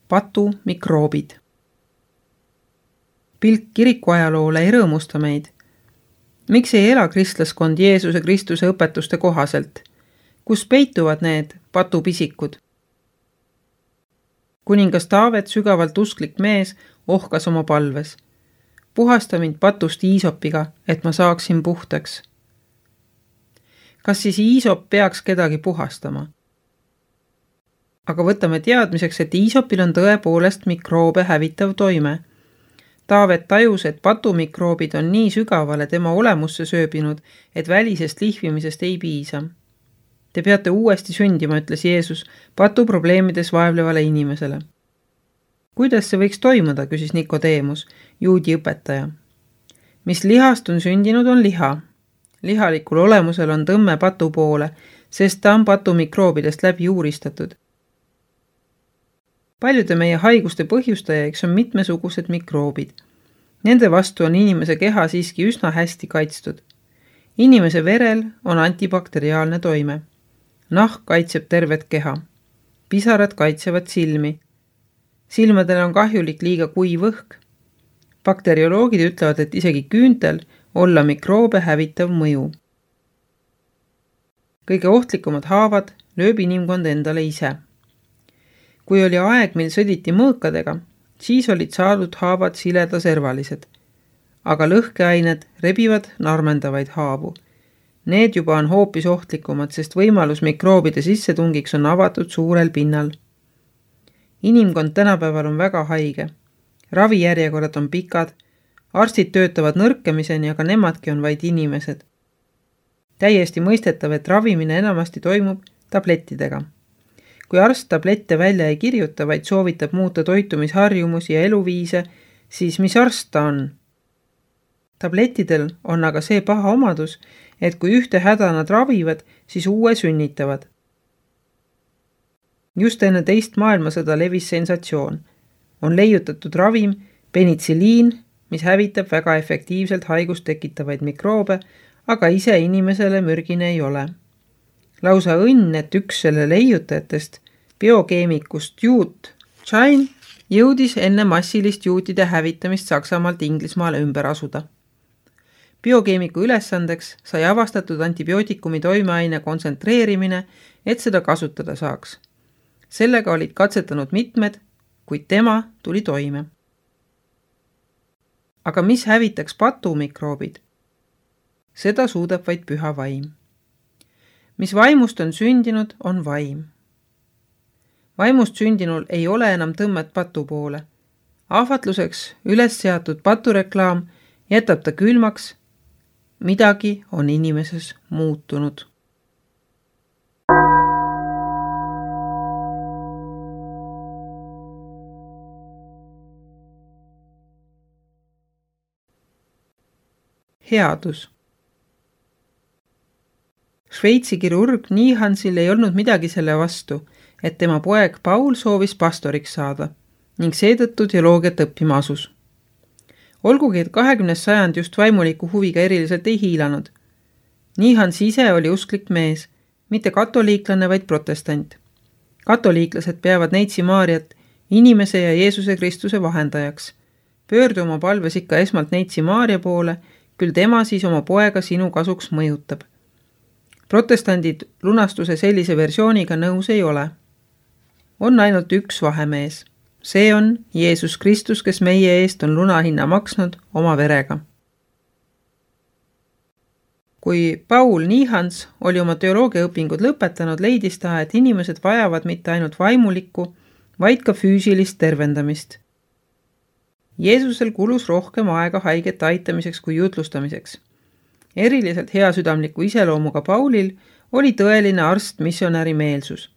patumikroobid. Pilk kirikuajaloole ei rõõmusta meid. Miks ei ela kristlaskond Jeesuse Kristuse õpetuste kohaselt? Kus peituvad need patupisikud? Kuningas Taavet, sügavalt usklik mees, ohkas oma palves. Puhasta mind patust Iisopiga, et ma saaksin puhtaks. Kas siis Iisop peaks kedagi puhastama? Aga võtame teadmiseks, et Iisopil on tõepoolest mikroobe hävitav toime. Taavet tajus, et patumikroobid on nii sügavale tema olemusse sööbinud, et välisest lihvimisest ei piisa. Te peate uuesti sündima, ütles Jeesus patuprobleemides vaevlevale inimesele. Kuidas see võiks toimuda, küsis Nikodeemus, juudi õpetaja. Mis lihast on sündinud, on liha. Lihalikul olemusel on tõmme patu poole, sest ta on patumikroobidest läbi uuristatud. Paljude meie haiguste põhjustajaiks on mitmesugused mikroobid. Nende vastu on inimese keha siiski üsna hästi kaitstud. Inimese verel on antibakteriaalne toime. Nahk kaitseb tervet keha. Pisarad kaitsevad silmi. Silmadel on kahjulik liiga kuiv õhk. Bakterioloogid ütlevad, et isegi küüntel olla mikroobe hävitav mõju. Kõige ohtlikumad haavad lööb inimkond endale ise. Kui oli aeg, mil sõditi mõõkadega, siis olid saadud haavad siledaservalised. Aga lõhkeained rebivad narmendavaid haavu. Need juba on hoopis ohtlikumad, sest võimalus mikroobide sissetungiks on avatud suurel pinnal. Inimkond tänapäeval on väga haige. Ravijärjekorrad on pikad, arstid töötavad nõrkemiseni, aga nemadki on vaid inimesed. Täiesti mõistetav, et ravimine enamasti toimub tablettidega. Kui arst tablette välja ei kirjuta, vaid soovitab muuta toitumisharjumusi ja eluviise, siis mis arst ta on? Tablettidel on aga see paha omadus, et kui ühte häda nad ravivad, siis uue sünnitavad. Just enne teist maailmasõda levis sensatsioon. On leiutatud ravim penitsiliin, mis hävitab väga efektiivselt haigust tekitavaid mikroobe, aga ise inimesele mürgine ei ole. Lausa õnn, et üks selle leiutajatest, biokeemikust juut Chain, jõudis enne massilist juutide hävitamist Saksamaalt Inglismaale ümber asuda. Biokeemiku ülesandeks sai avastatud antibiootikumi toimeaine kontsentreerimine, et seda kasutada saaks. Sellega olid katsetanud mitmed, kuid tema tuli toime. Aga mis hävitaks patumikroobid? Seda suudab vaid püha vaim. Mis vaimust on sündinud, on vaim. Vaimust sündinul ei ole enam tõmmet patu poole. Ahvatluseks üles seatud patureklaam jätab ta külmaks. Midagi on inimeses muutunud. Headus. Šveitsi kirurg Nihansil ei olnud midagi selle vastu, et tema poeg Paul soovis pastoriks saada ning seetõttu teoloogiat õppima asus. Olgugi, et 20. sajand just vaimuliku huviga eriliselt ei hiilanud. Nihans ise oli usklik mees, mitte katoliiklane, vaid protestant. Katoliiklased peavad Neitsi Maariat inimese ja Jeesuse Kristuse vahendajaks. Pöördu oma palves ikka esmalt Neitsi Maaria poole, küll tema siis oma poega sinu kasuks mõjutab. Protestandid lunastuse sellise versiooniga nõus ei ole. On ainult üks vahemees. See on Jeesus Kristus, kes meie eest on lunahinna maksnud oma verega. Kui Paul Nihans oli oma teoloogiaõpingud lõpetanud, leidis ta, et inimesed vajavad mitte ainult vaimulikku, vaid ka füüsilist tervendamist. Jeesusel kulus rohkem aega haigete aitamiseks kui jutlustamiseks. Eriliselt heasüdamliku iseloomuga Paulil oli tõeline arst-missionäri meelsus.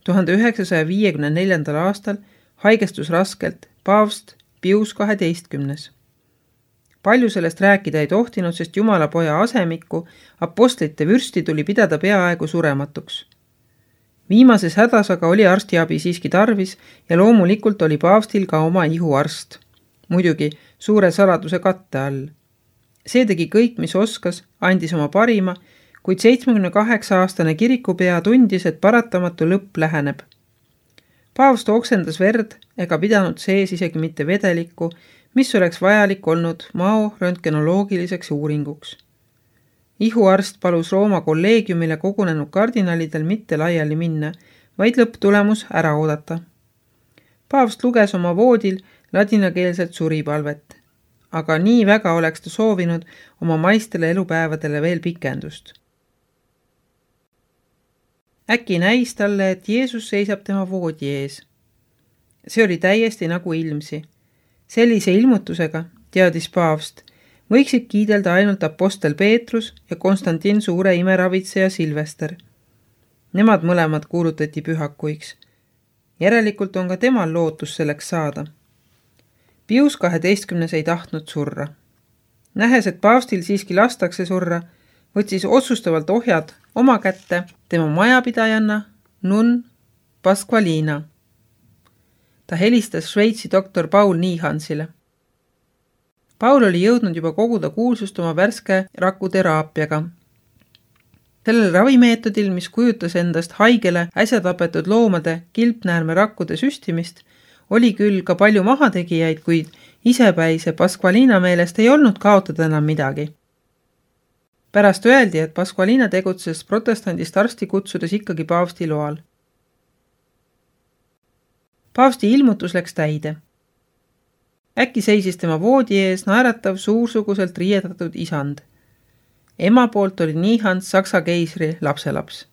1954. aastal haigestus raskelt paavst Pius 12. Palju sellest rääkida ei tohtinud, sest Jumala poja asemikku, apostlite vürsti tuli pidada peaaegu surematuks. Viimases hädas aga oli arstiabi siiski tarvis ja loomulikult oli paavstil ka oma ihuarst. Muidugi suure saladuse katte all. See tegi kõik, mis oskas, andis oma parima, kuid 78-aastane kirikupea tundis, et paratamatu lõpp läheneb. Paavst oksendas verd ega pidanud sees isegi mitte vedelikku, mis oleks vajalik olnud mao röntgenoloogiliseks uuringuks. Ihuarst palus Rooma kolleegiumile kogunenud kardinalidel mitte laiali minna, vaid lõpptulemus ära oodata. Paavst luges oma voodil ladinakeelset suripalvet, aga nii väga oleks ta soovinud oma maistele elupäevadele veel pikendust. Äkki näis talle, et Jeesus seisab tema voodi ees. See oli täiesti nagu ilmsi. Sellise ilmutusega, teadis Paavst, võiksid kiidelda ainult apostel Peetrus ja Konstantin suure imeravitseja Silvester. Nemad mõlemad kuulutati pühakuiks. Järelikult on ka temal lootus selleks saada. Pius 12. ei tahtnud surra. Nähes, et paavstil siiski lastakse surra, võtsis otsustavalt ohjad oma kätte tema majapidajanna nunn Pasqualina. Ta helistas Šveitsi doktor Paul Nihansile. Paul oli jõudnud juba koguda kuulsust oma värske rakuteraapiaga. Sellel ravimeetodil, mis kujutas endast haigele äsja tapetud loomade kilpnäärmerakkude süstimist, oli küll ka palju mahategijaid, kuid isepäise Pasqualina meelest ei olnud kaotada enam midagi. Pärast öeldi, et Pasqualina tegutses protestandist arsti kutsudes ikkagi paavsti loal. Paavsti ilmutus läks täide. Äkki seisis tema voodi ees naeratav suursuguselt riietatud isand. Ema poolt oli Nihans Saksa keisri lapselaps.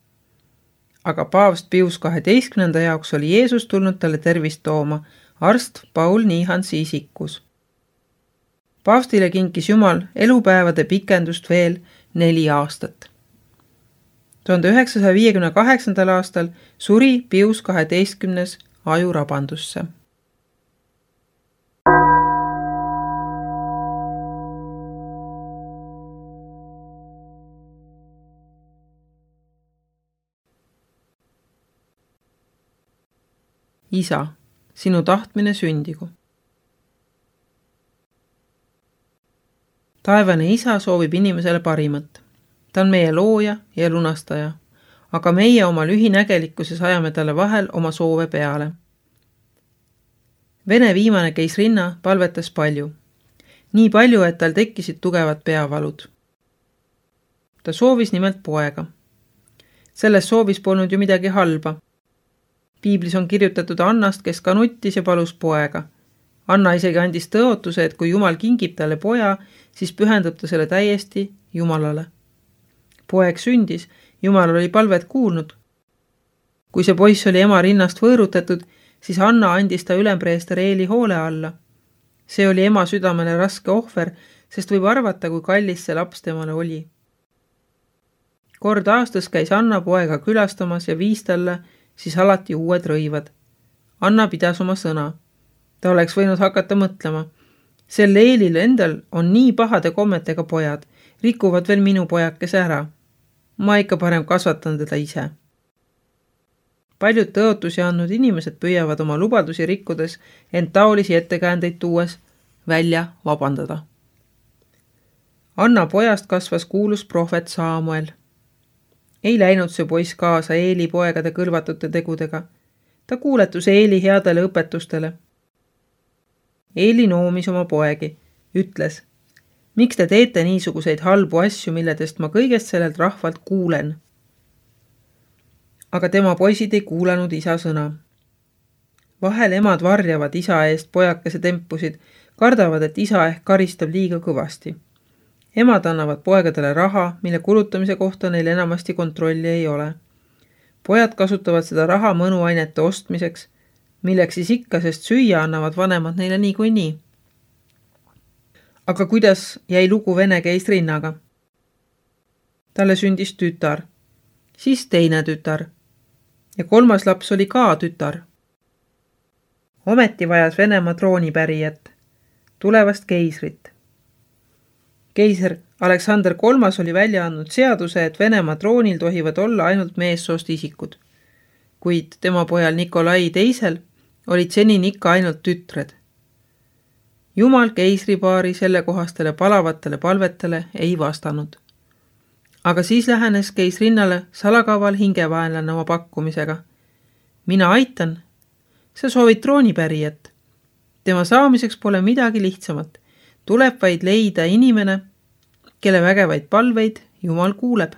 Aga paavst Pius 12. jaoks oli Jeesus tulnud talle tervist tooma, arst Paul Nihansi isikus. Paavstile kinkis Jumal elupäevade pikendust veel 4 aastat. 1958. aastal suri Pius 12. ajurabandusse. Isa, sinu tahtmine sündigu. Taevane Isa soovib inimesele parimat. Ta on meie looja ja lunastaja, aga meie oma lühinägelikkuses ajame talle vahel oma soove peale. Vene viimane keisrinna palvetas palju. Nii palju, et tal tekkisid tugevad peavalud. Ta soovis nimelt poega. Selles soovis polnud ju midagi halba. Piiblis on kirjutatud Annast, kes ka nuttis ja palus poega. Anna isegi andis tõotuse, et kui Jumal kingib talle poja, siis pühendab ta selle täiesti Jumalale. Poeg sündis, Jumal oli palvet kuulnud. Kui see poiss oli ema rinnast võõrutatud, siis Anna andis ta ülempreester Eeli hoole alla. See oli ema südamele raske ohver, sest võib arvata, kui kallis see laps temale oli. Kord aastas käis Anna poega külastamas ja viis talle siis alati uued rõivad. Anna pidas oma sõna. Ta oleks võinud hakata mõtlema. Sel Eelil endal on nii pahade kommetega pojad, rikuvad veel minu pojakese ära. Ma ikka parem kasvatan teda ise. Paljud tõotusi andnud inimesed püüavad oma lubadusi rikkudes, ent taolisi ettekäändeid tuues välja vabandada. Anna pojast kasvas kuulus prohvet Saamuel. Ei läinud see poiss kaasa Eeli poegade kõlvatute tegudega. Ta kuuletus Eeli headele õpetustele. Eeli noomis oma poegi, ütles, miks te teete niisuguseid halbu asju, milledest ma kõigest sellelt rahvalt kuulen? Aga tema poisid ei kuulanud isa sõna. Vahel emad varjavad isa eest pojakese tempusid, kardavad, et isa ehk karistab liiga kõvasti. Emad annavad poegadele raha, mille kulutamise kohta neil enamasti kontrolli ei ole. Pojad kasutavad seda raha mõnuainete ostmiseks, milleks siis ikka, sest süüa annavad vanemad neile niikuinii. Aga kuidas jäi lugu vene keisrinnaga? Talle sündis tütar, siis teine tütar ja 3. laps oli ka tütar. Ometi vajas Venemaa troonipärijat, tulevast keisrit. Keiser Aleksander III oli välja andnud seaduse, et Venemaa troonil tohivad olla ainult meessoost isikud, kuid tema pojal Nikolai II olid senini ikka ainult tütred. Jumal keisripaari sellekohastele palavatele palvetele ei vastanud. Aga siis lähenes keisrinnale salakaval hingevaenlane oma pakkumisega. Mina aitan, sa soovid troonipärijat. Tema saamiseks pole midagi lihtsamat. Tuleb vaid leida inimene, kelle vägevaid palveid Jumal kuuleb.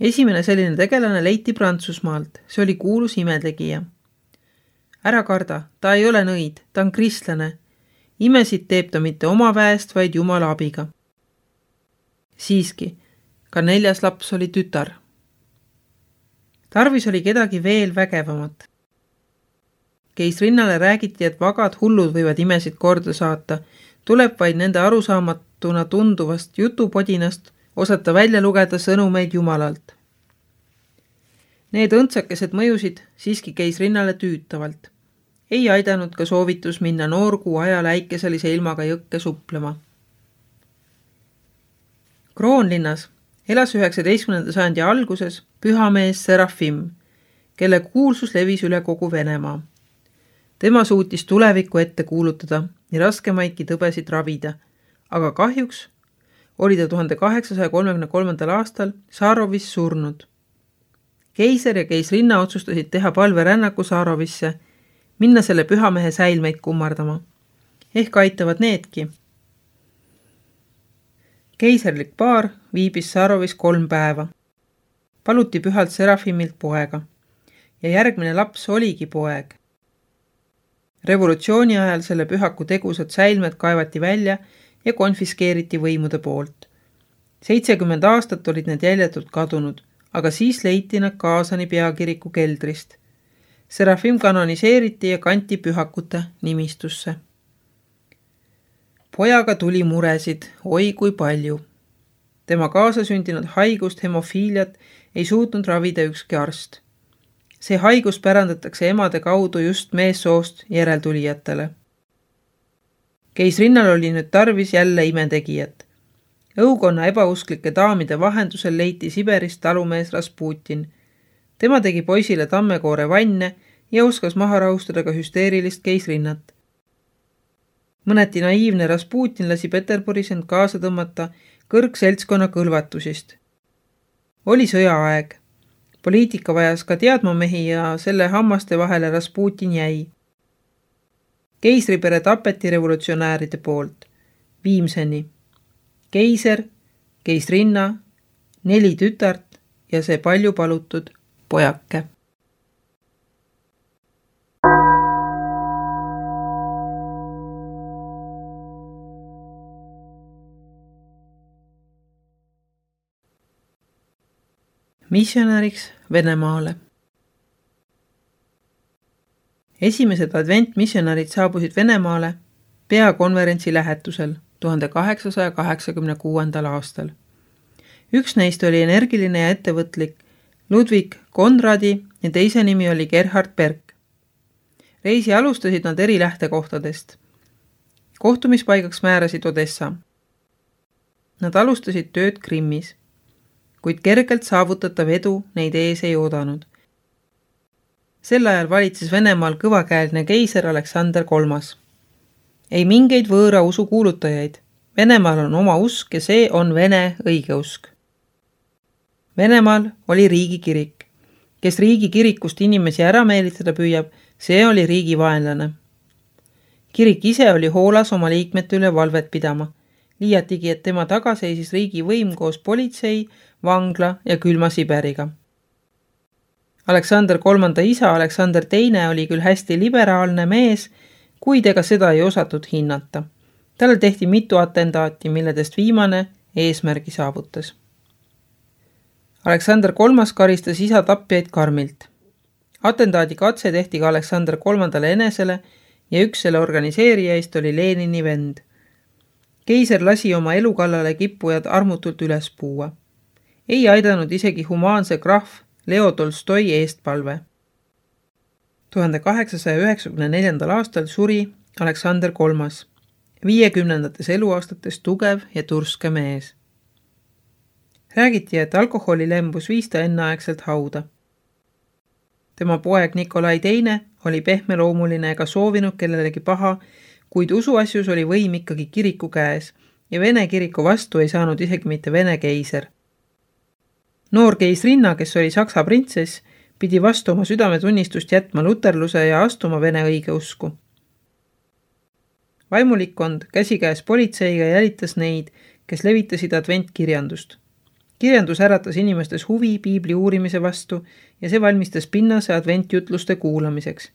Esimene selline tegelane leiti Prantsusmaalt. See oli kuulus imetegija. Ära karda, ta ei ole nõid, ta on kristlane. Imesid teeb ta mitte oma väest, vaid Jumala abiga. Siiski, ka 4. laps oli tütar. Tarvis oli kedagi veel vägevamat. Keisrinnale räägiti, et vagad hullud võivad imesid korda saata. Tuleb vaid nende arusaamatuna tunduvast jutupodinast osata välja lugeda sõnumeid Jumalalt. Need õndsakesed mõjusid siiski keisrinnale tüütavalt. Ei aidanud ka soovitus minna noorkuu ajal äikeselise ilmaga jõkke suplema. Kroonlinnas elas 19. sajandi alguses pühamees Serafim, kelle kuulsus levis üle kogu Venemaa. Tema suutis tulevikku ette kuulutada ja raskemaidki tõbesid ravida, aga kahjuks oli ta 1833. aastal Saarovis surnud. Keiser ja keisrinna otsustasid teha palverännaku Saarovisse, minna selle pühamehe säilmeid kummardama. Ehk aitavad needki. Keiserlik paar viibis Saarovis 3 päeva. Paluti pühalt Serafimilt poega ja järgmine laps oligi poeg. Revolutsiooni ajal selle pühaku tegusad säilmed kaevati välja ja konfiskeeriti võimude poolt. 70 aastat olid need jäljetult kadunud, aga siis leiti nad Kaasani peakiriku keldrist. Serafim kanoniseeriti ja kanti pühakute nimistusse. Pojaga tuli muresid, oi kui palju. Tema kaasasündinud haigust hemofiiliat ei suutnud ravida ükski arst. See haigus pärandatakse emade kaudu just meessoost järeltulijatele. Keisrinnal oli nüüd tarvis jälle imetegijat. Õukonna ebausklike daamide vahendusel leiti Siberist talumees Rasputin. Tema tegi poisile tammekoore vanne ja oskas maha rahustada ka hüsteerilist keisrinnat. Mõneti naiivne Rasputin lasi Peterburis end kaasa tõmmata kõrgseltskonna kõlvatusist. Oli sõjaaeg. Poliitika vajas ka teadmamehi ja selle hammaste vahele Rasputin jäi. Keisripere tapeti revolutsionääride poolt. Viimseni. Keiser, keisrinna, 4 tütart ja see palju palutud pojake. Missionäriks Venemaale. Esimesed adventmissionärid saabusid Venemaale peakonverentsi lähetusel 1886. aastal. Üks neist oli energiline ja ettevõtlik Ludwig Konradi ja teise nimi oli Gerhard Berg. Reisi alustasid nad eri lähtekohtadest. Kohtumispaigaks määrasid Odessa. Nad alustasid tööd Krimmis, kuid kergelt saavutatav edu neid ees ei oodanud. Sel ajal valitses Venemaal kõvakäeline keiser Aleksander III. Ei mingeid võõra usu kuulutajaid. Venemaal on oma usk ja see on Vene õigeusk. Venemaal oli riigikirik. Kes riigikirikust inimesi ära meelitada püüab, see oli riigi vaenlane. Kirik ise oli hoolas oma liikmete üle valvet pidama. Liiatigi, et tema taga seisis riigi võim koos politsei, vangla ja külma Siberiga. Aleksander III isa Aleksander II oli küll hästi liberaalne mees, kuid ega seda ei osatud hinnata. Talle tehti mitu atentaati, milledest viimane eesmärgi saavutas. Aleksander III karistas isa tapjaid karmilt. Atentaadi katse tehti ka Aleksander III enesele ja üks selle organiseerijaist oli Lenini vend. Keiser lasi oma elu kallale kippujad armutult üles puua. Ei aidanud isegi humaanse krahv Leo Tolstoi eestpalve. 1894. aastal suri Aleksander III, 50. eluaastates tugev ja turske mees. Räägiti, et alkoholilembus viis ta enneaegselt hauda. Tema poeg Nikolai II oli pehmeloomuline ega soovinud kellelegi paha, kuid usuasjus oli võim ikkagi kiriku käes ja Vene kiriku vastu ei saanud isegi mitte Vene keiser. Noor keisrinna, kes oli Saksa printsess, pidi vastu oma südametunnistust jätma luterluse ja astuma vene õigeusku. Vaimulikkond käsikäes politseiga jälitas neid, kes levitasid adventkirjandust. Kirjandus äratas inimestes huvi piibli uurimise vastu ja see valmistas pinnase adventjutluste kuulamiseks.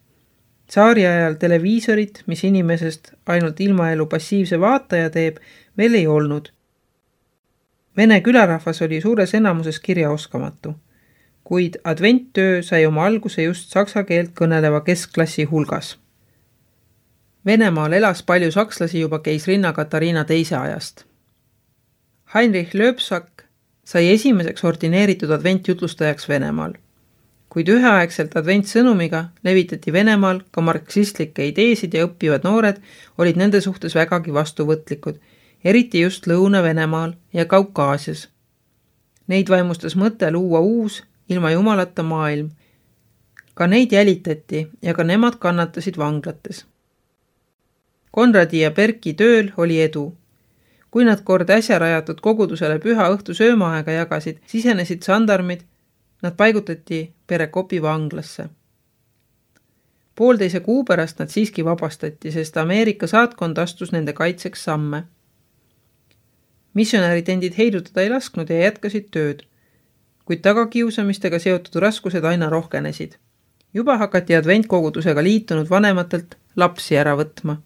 Tsaari ajal televiisorit, mis inimesest ainult ilmaelu passiivse vaataja teeb, veel ei olnud. Vene külarahvas oli suures enamuses kirjaoskamatu, kuid adventtöö sai oma alguse just saksa keelt kõneleva keskklassi hulgas. Venemaal elas palju sakslasi juba keisrinna Katariina teise ajast. Heinrich Löbsak sai esimeseks ordineeritud adventjutlustajaks Venemaal. Kuid üheaegselt adventsõnumiga levitati Venemaal ka marksistlikke ideesid ja õppivad noored olid nende suhtes vägagi vastuvõtlikud, eriti just Lõuna-Venemaal ja Kaukaasias. Neid vaimustas mõte luua uus, ilma jumalata maailm. Ka neid jälitati ja ka nemad kannatasid vanglates. Konradi ja Berki tööl oli edu. Kui nad kord äsja rajatud kogudusele püha õhtu söömaaega jagasid, sisenesid sandarmid, nad paigutati Perekopi vanglasse. 1,5 kuu pärast nad siiski vabastati, sest Ameerika saatkond astus nende kaitseks samme. Missionäärid endid heidutada ei lasknud ja jätkasid tööd, kuid tagakiusamistega seotud raskused aina rohkenesid. Juba hakati adventkogudusega liitunud vanematelt lapsi ära võtma.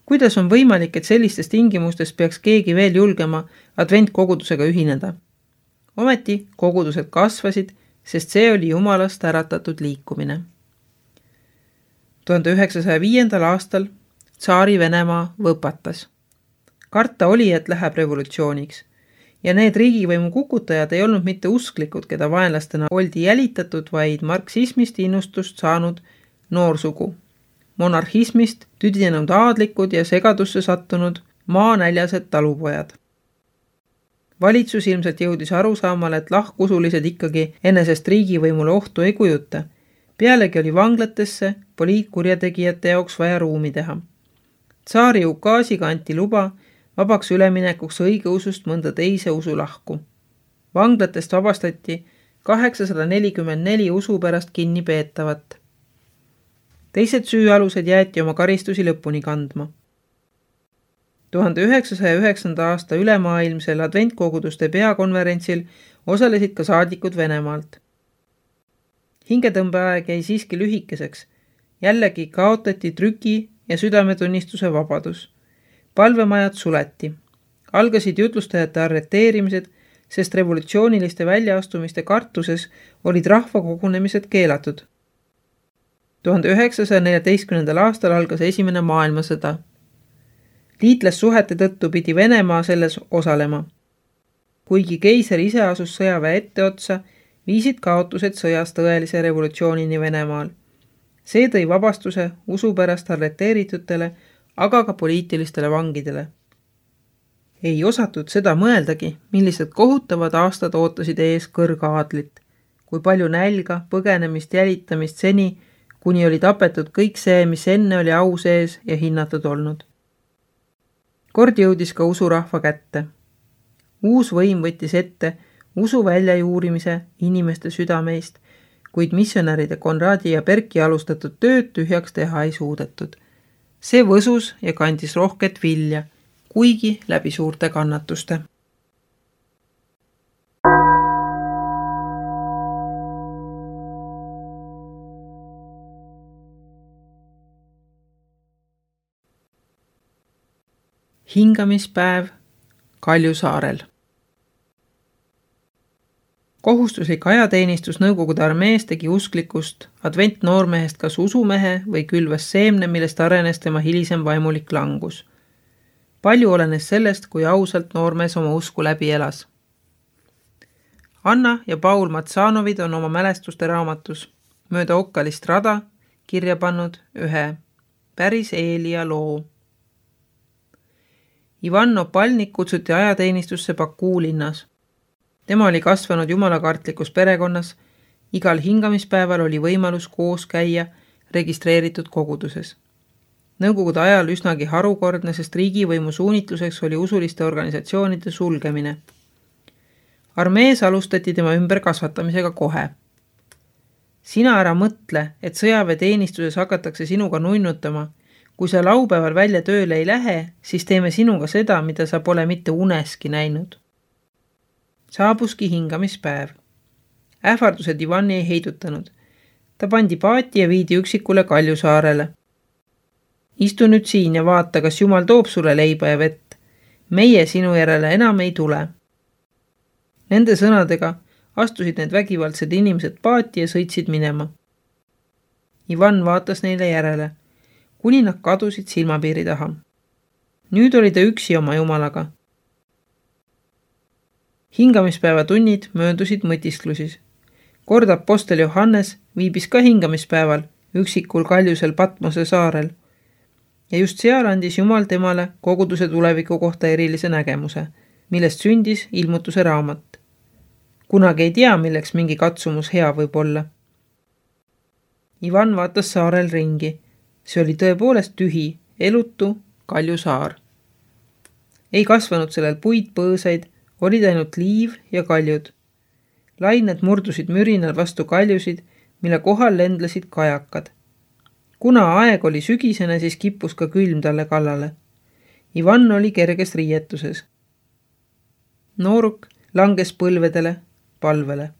Kuidas on võimalik, et sellistes tingimustes peaks keegi veel julgema adventkogudusega ühineda? Ometi kogudused kasvasid, sest see oli Jumalast äratatud liikumine. 1905. aastal Tsaari Venemaa võpatas. Karta oli, et läheb revolutsiooniks. Ja need riigivõimu kukutajad ei olnud mitte usklikud, keda vaenlastena oldi jälitatud, vaid marksismist innustust saanud noorsugu. Monarhismist tüdinenud aadlikud ja segadusse sattunud maanäljased talupojad. Valitsus ilmselt jõudis arusaamale, et lahkusulised ikkagi enesest riigivõimule ohtu ei kujuta. Pealegi oli vanglatesse poliitkurjategijate jaoks vaja ruumi teha. Tsaari ukaasiga anti luba vabaks üleminekuks õigeusust mõnda teise usulahku. Vanglatest vabastati 844 usu pärast kinni peetavat. Teised süüalused jäeti oma karistusi lõpuni kandma. 1909. aasta ülemaailmsel adventkoguduste peakonverentsil osalesid ka saadikud Venemaalt. Hingetõmbeaeg jäi siiski lühikeseks. Jällegi kaotati trüki ja südametunnistuse vabadus. Palvemajad suleti. Algasid jutlustajate arreteerimised, sest revolutsiooniliste väljaastumiste kartuses olid rahvakogunemised keelatud. 1914. aastal algas esimene maailmasõda. Liitlassuhete tõttu pidi Venemaa selles osalema. Kuigi keiser ise asus sõjaväe etteotsa, viisid kaotused sõjas tõelise revolutsioonini Venemaal. See tõi vabastuse usupärast arreteeritutele, aga ka poliitilistele vangidele. Ei osatud seda mõeldagi, millised kohutavad aastad ootasid ees kõrgaadlit, kui palju nälga, põgenemist, jälitamist seni, kuni oli tapetud kõik see, mis enne oli au sees ja hinnatud olnud. Kord jõudis ka usurahva kätte. Uus võim võttis ette usu väljajuurimise inimeste südameist, kuid missionäride Konradi ja Berki alustatud tööd tühjaks teha ei suudetud. See võsus ja kandis rohket vilja, kuigi läbi suurte kannatuste. Hingamispäev Kaljusaarel. Kohustuslik ajateenistus Nõukogude armees tegi usklikust adventnoormehest kas usumehe või külvas seemne, millest arenes tema hilisem vaimulik langus. Palju olenes sellest, kui ausalt noormees oma usku läbi elas. Anna ja Paul Matsanovid on oma mälestuste raamatus Mööda okkalist rada kirja pannud ühe päris Eelia loo. Ivan Opalnik kutsuti ajateenistusse Bakuu linnas. Tema oli kasvanud jumalakartlikus perekonnas, igal hingamispäeval oli võimalus koos käia registreeritud koguduses. Nõukogude ajal üsnagi harukordne, sest riigivõimu suunitluseks oli usuliste organisatsioonide sulgemine. Armees alustati tema ümberkasvatamisega kohe. Sina ära mõtle, et sõjaväeteenistuses hakatakse sinuga nunnutama. Kui sa laupäeval välja tööle ei lähe, siis teeme sinuga seda, mida sa pole mitte uneski näinud. Saabuski hingamispäev. Ähvardused Ivani ei heidutanud. Ta pandi paati ja viidi üksikule Kaljusaarele. Istu nüüd siin ja vaata, kas Jumal toob sulle leiba ja vett. Meie sinu järele enam ei tule. Nende sõnadega astusid need vägivaldsed inimesed paati ja sõitsid minema. Ivan vaatas neile järele, kuni nad kadusid silmapiiri taha. Nüüd oli ta üksi oma Jumalaga. Hingamispäeva tunnid möödusid mõtisklusis. Kord apostel Johannes viibis ka hingamispäeval üksikul Kaljusel Patmose saarel. Ja just seal andis Jumal temale koguduse tuleviku kohta erilise nägemuse, millest sündis ilmutuse raamat. Kunagi ei tea, milleks mingi katsumus hea võib olla. Ivan vaatas saarel ringi. See oli tõepoolest tühi, elutu Kaljusaar. Ei kasvanud sellel puid põõsaid, olid ainult liiv ja kaljud. Lained murdusid mürinal vastu kaljusid, mille kohal lendlesid kajakad. Kuna aeg oli sügisene, siis kippus ka külm talle kallale. Ivan oli kerges riietuses. Nooruk langes põlvedele, palvele.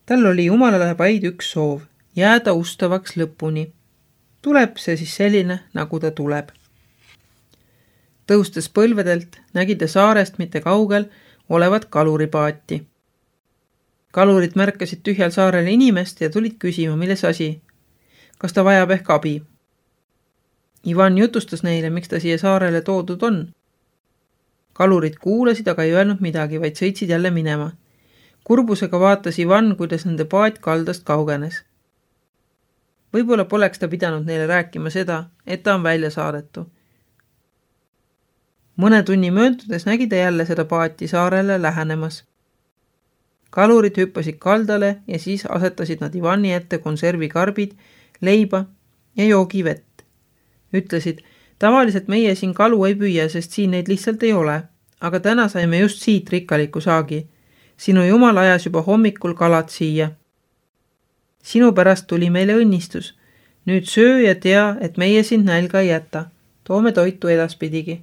Tal oli Jumalale vaid üks soov, jääda ustavaks lõpuni. Tuleb see siis selline, nagu ta tuleb. Tõustes põlvedelt nägi ta saarest mitte kaugel olevat kaluripaati. Kalurid märkasid tühjal saarel inimest ja tulid küsima, milles asi. Kas ta vajab ehk abi? Ivan jutustas neile, miks ta siia saarele toodud on. Kalurid kuulasid, aga ei öelnud midagi, vaid sõitsid jälle minema. Kurbusega vaatas Ivan, kuidas nende paat kaldast kaugenes. Võib-olla poleks ta pidanud neile rääkima seda, et ta on välja saadetu. Mõne tunni möödudes nägi ta jälle seda paati saarele lähenemas. Kalurid hüppasid kaldale ja siis asetasid nad Ivani ette konservikarbid, leiba ja joogivett. Ütlesid, tavaliselt meie siin kalu ei püüa, sest siin neid lihtsalt ei ole, aga täna saime just siit rikkaliku saagi. Sinu Jumal ajas juba hommikul kalad siia. Sinu pärast tuli meile õnnistus. Nüüd söö ja tea, et meie sind nälga ei jäta. Toome toitu edaspidigi.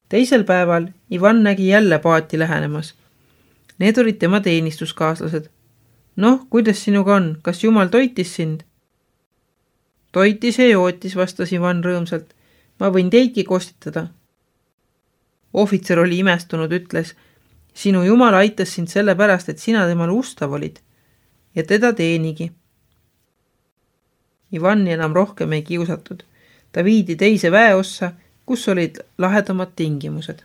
Teisel päeval Ivan nägi jälle paati lähenemas. Need olid tema teenistuskaaslased. Noh, kuidas sinuga on? Kas Jumal toitis sind? Toitis ja jootis, vastas Ivan rõõmsalt. Ma võin teidki kostitada. Ohvitser oli imestunud, ütles, sinu Jumal aitas sind sellepärast, et sina temale ustav olid. Ja teda teenigi. Ivani enam rohkem ei kiusatud. Ta viidi teise väeossa, kus olid lahedamad tingimused.